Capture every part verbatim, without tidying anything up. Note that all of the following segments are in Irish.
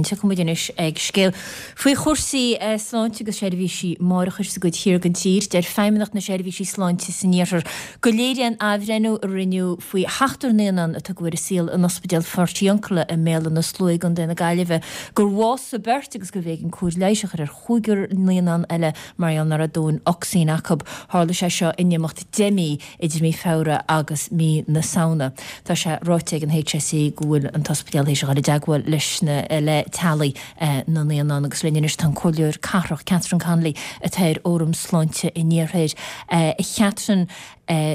sin. Tiocfaidh muid anois ag scéal faoi chúrsaí sláinte agus seirbhísí máithreachais sa gcuid thiar den tír. Deir Feidhmeannacht na Seirbhísí Sláinte san Iarthar go léiríonn athbhreithniú a rinneadh faoi sheachtar naíonán a tugadh ar an saol in Ospidéal Phortiuncula i mBéal Átha na Sluaighe i gContae na Gaillimhe gur bhásaigh beirt agus gurbh éigean cóir leighis a chur ar chúigear naíonán eile mar gheall nach raibh dóthain ocsaigin acu. Tharla sé seo in imeacht deich mí, idir mí Feabhra agus mí na Samhna. Tá sé ráite ag an HSE go bhfuil an t-ospidéal théis a dhul i dteagmháil leis na le teaghlaigh na naíonán agus linn anois tá an Comhairleoir Cathrach Catherine Connolly atá ar Fhóram Sláinte an Iarthair. A Chatherine,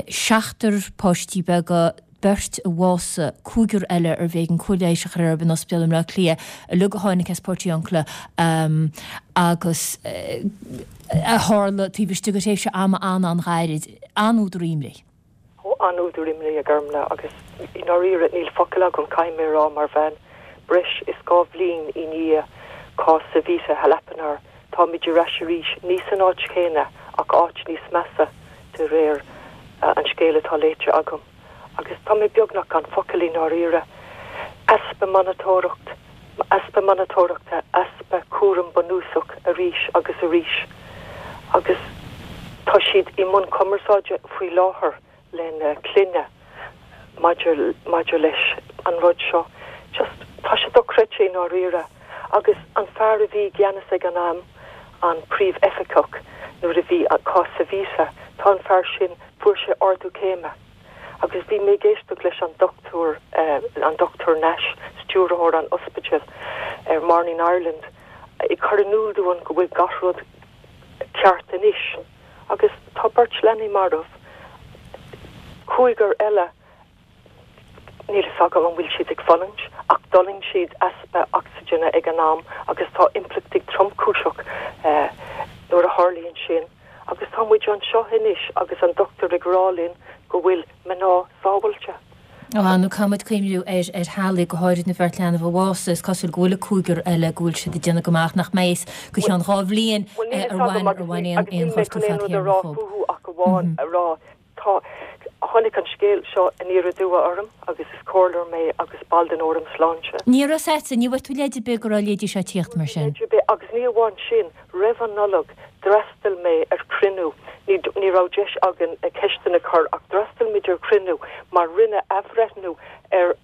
seachtar páistí beaga, beirt a bhásaigh, cúigear eile arbh éigean cóir leighis a chur orthu in ospidéal i mBleá Cliath, uilig a tháinig as Portiuncula agus a tharla taobh istigh de thréimhse ama an-an-ghairid, an-údar imní. Ó, an-údar imní, a Ghormfhlaith, agus i ndáiríre níl focal agam, caithfidh mé a rá, mar bhean, breis is dhá bhliain i ndiaidh cás Savita Halappanavar, táimid ar ais arís, ní san áit chéanna ach áit níos measa de réir an scéil atá léite agam. Agus tá mé beagnach gan focal i ndáiríre. Easpa monatóireacht, easpa monatóireachta, easpa cúram bunúsach arís agus arís. Agus tá siad i mbun cumarsáide faoi láthair lena clainne maidir maidir leis an rud seo. Just, tá sé dochreidte i ndáiríre. Agus an fear a bhí i gceannas ag an am, an príomhoifigeach nuair a bhí cás Savita, tá an fear sin, fuair sé ardú céime. Agus bhí mé ag éisteacht leis an Dochtúir, an Dochtúir Nash, stiúrthóir an ospidéil, ar Morning Ireland, ag cur in iúl dúinn go bhfuil gach rud ceart anois. Agus tá beirt leanaí marbh, cúigear eile, níl fhios agam an bhfuil siad ag fulaingt, ach d'fhulaing siad easpa ocsaigine ag an am agus tá impleachtaí tromchúiseach nuair a tharlaíonn sin. Agus tá muid anseo anois agus an dochtúir ag rá linn go bhfuil mná sábháilte. Á, nó caithfidh muid cuimhniú ar ar theaghlaigh, go háirid na bheirt leanbh a bhásaigh. Is cosúil go bhfuil an cúigear eile, go bhfuil siad ag déanamh go maith, ach nach mbeidh fhios go ceann dhá bhliain ar bhain ar bhain aon aon ghortú fadtéarmach dhóibh. Fúthu ach amháin a rá Tá, tháinig an scéal seo aniar aduaidh orm agus is comhairleoir mé agus ball den Fhóram Sláinte. Ní raibh fhios agat, ní bhfuair tú leid ar bith go raibh a leithéidí seo ag tíocht mar sin? Leid ar bith, agus ní amháin sin, roimh an Nollaig d'fhreastail mé ar chruinniú, ní, ní raibh deis againn ceisteanna a chur ach d'fhreastail muid ar chruinniú mar rinneadh athbhreithniú ar,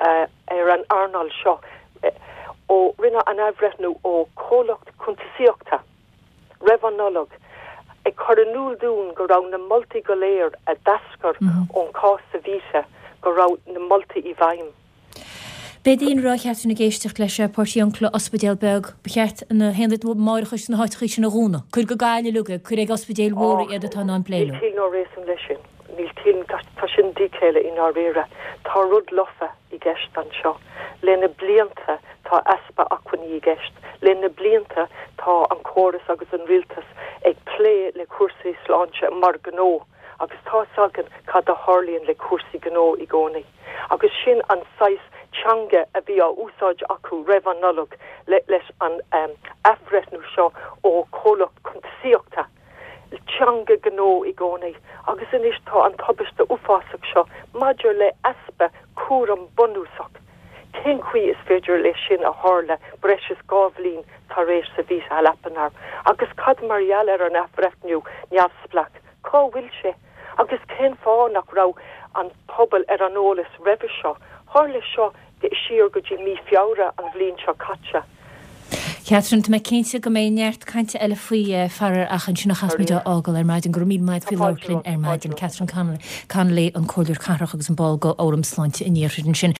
ar an earnáil seo ó, rinneadh an athbhreithniú ó chomhlacht cuntasaíochta. roimh an Nollaig, ag cur in iúl dúinn go raibh na moltaí go léir a d'eascair ón chás Savita, go raibh na moltaí i bhfeidhm. Beidh daoine a Chatherine ag éisteacht leis Portiuncula, ospidéal beag, ba cheart na haonaid máithreachais sna háiteachaí sin a dhúnadh. Cuir go Gaillimh uilig iad, cuir ag ospidéil mhóra iad atá in ann plé leo. Níl ciall ná réasún leis sin. Níl ciall, tá sin díchéille i ndáiríre. Tá rud lofa i gceist anseo. Le na blianta tá easpa acmhainní i gceist. Le na blianta tá an córas agus an rialtas ag plé le cúrsaí sláinte mar gnó agus tá's againn cad a tharlaíonn le cúrsaí gnó i gcónaí. Agus sin an saghas teanga a bhí á úsáid acu roimh an Nollaig leis an athbhreithniú seo ó chomhlacht cuntasaíochta. Teanga gnó i gcónaí. Agus anois tá an tubaiste uafásach seo maidir le easpa cúram bunúsach. Cén chaoi is féidir leis sin a tharla breis is dhá bhliain tar éis Savita Halappanavar? Agus cad mar gheall ar an athbhreithniú neamhspleách? Cá bhfuil sé? Agus cén fáth nach raibh an pobal ar an eolas roimhe seo? Tharla seo siar go dtí mí Feabhra an bhliain seo caite. Catherine, tá mé cinnte go mbeidh neart cainte eile faoi faraor ach ansin a chaithfimid a fhágáil ar maidin. Go raibh míle maith agat faoi labhairt linn ar maidin. Catherine Connolly, an Comhairleoir Cathrach agus an ball de Fhóram Sláinte an Iarthair ansin.